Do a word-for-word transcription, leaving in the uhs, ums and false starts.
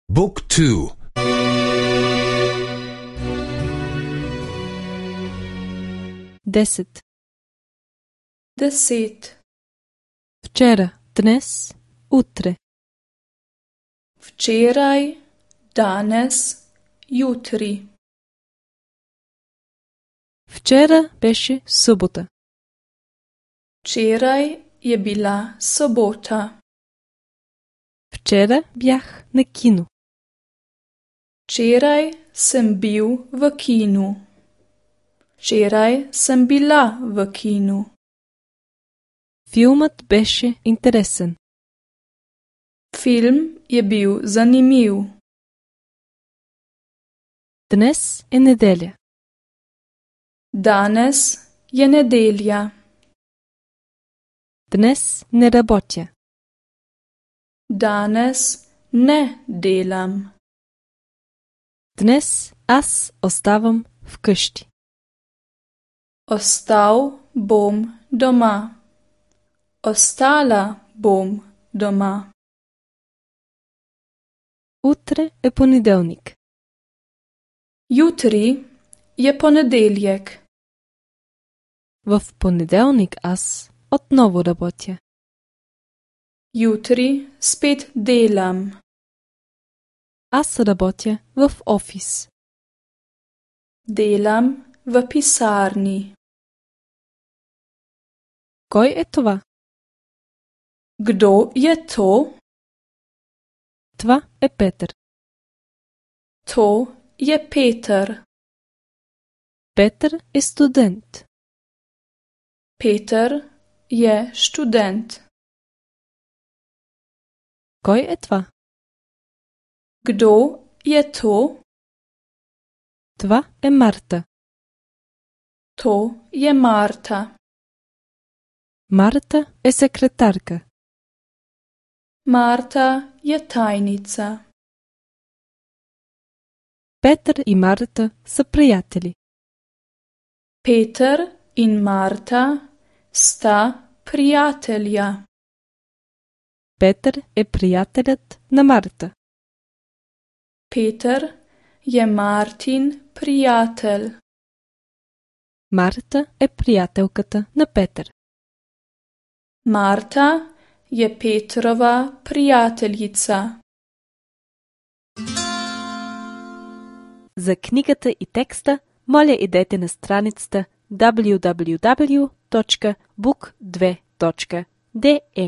Book two. Deset. Deset. Včera, dnes, utre. Včeraj, danes, jutri. Včera беше събота. Včeraj je bila sobota. Včera бях на кино. Včeraj sem bil v kinu. Včeraj sem bila v kinu. Филмът беше интересен. Film je bil zanimiv. Днес е неделя. Danes je nedelja. Днес не работя. Danes ne delam. Днес аз оставам вкъщи. Ostal bom doma. Ostala bom doma. Утре е понеделник. Jutri je ponedeljek. В понеделник аз отново работя. Jutri spet delam. Аз работя в офис. Delam v pisarni. Кой е това? Kdo je to? Това е Петър. To je Peter. Петър е студент. Peter je študent. Кой е това? Kdo je to? Това е Марта. To je Marta. Марта е секретарка. Marta je tajnica. Петър и Марта са приятели. Peter in Marta sta prijatelja. Петър е приятелят на Марта. Peter je Martin prijatelj. Марта е приятелката на Петър. Marta je Petrova prijateljica. За книгата и текста, моля идете на страницата дабълю дабълю дабълю точка бук две точка де е.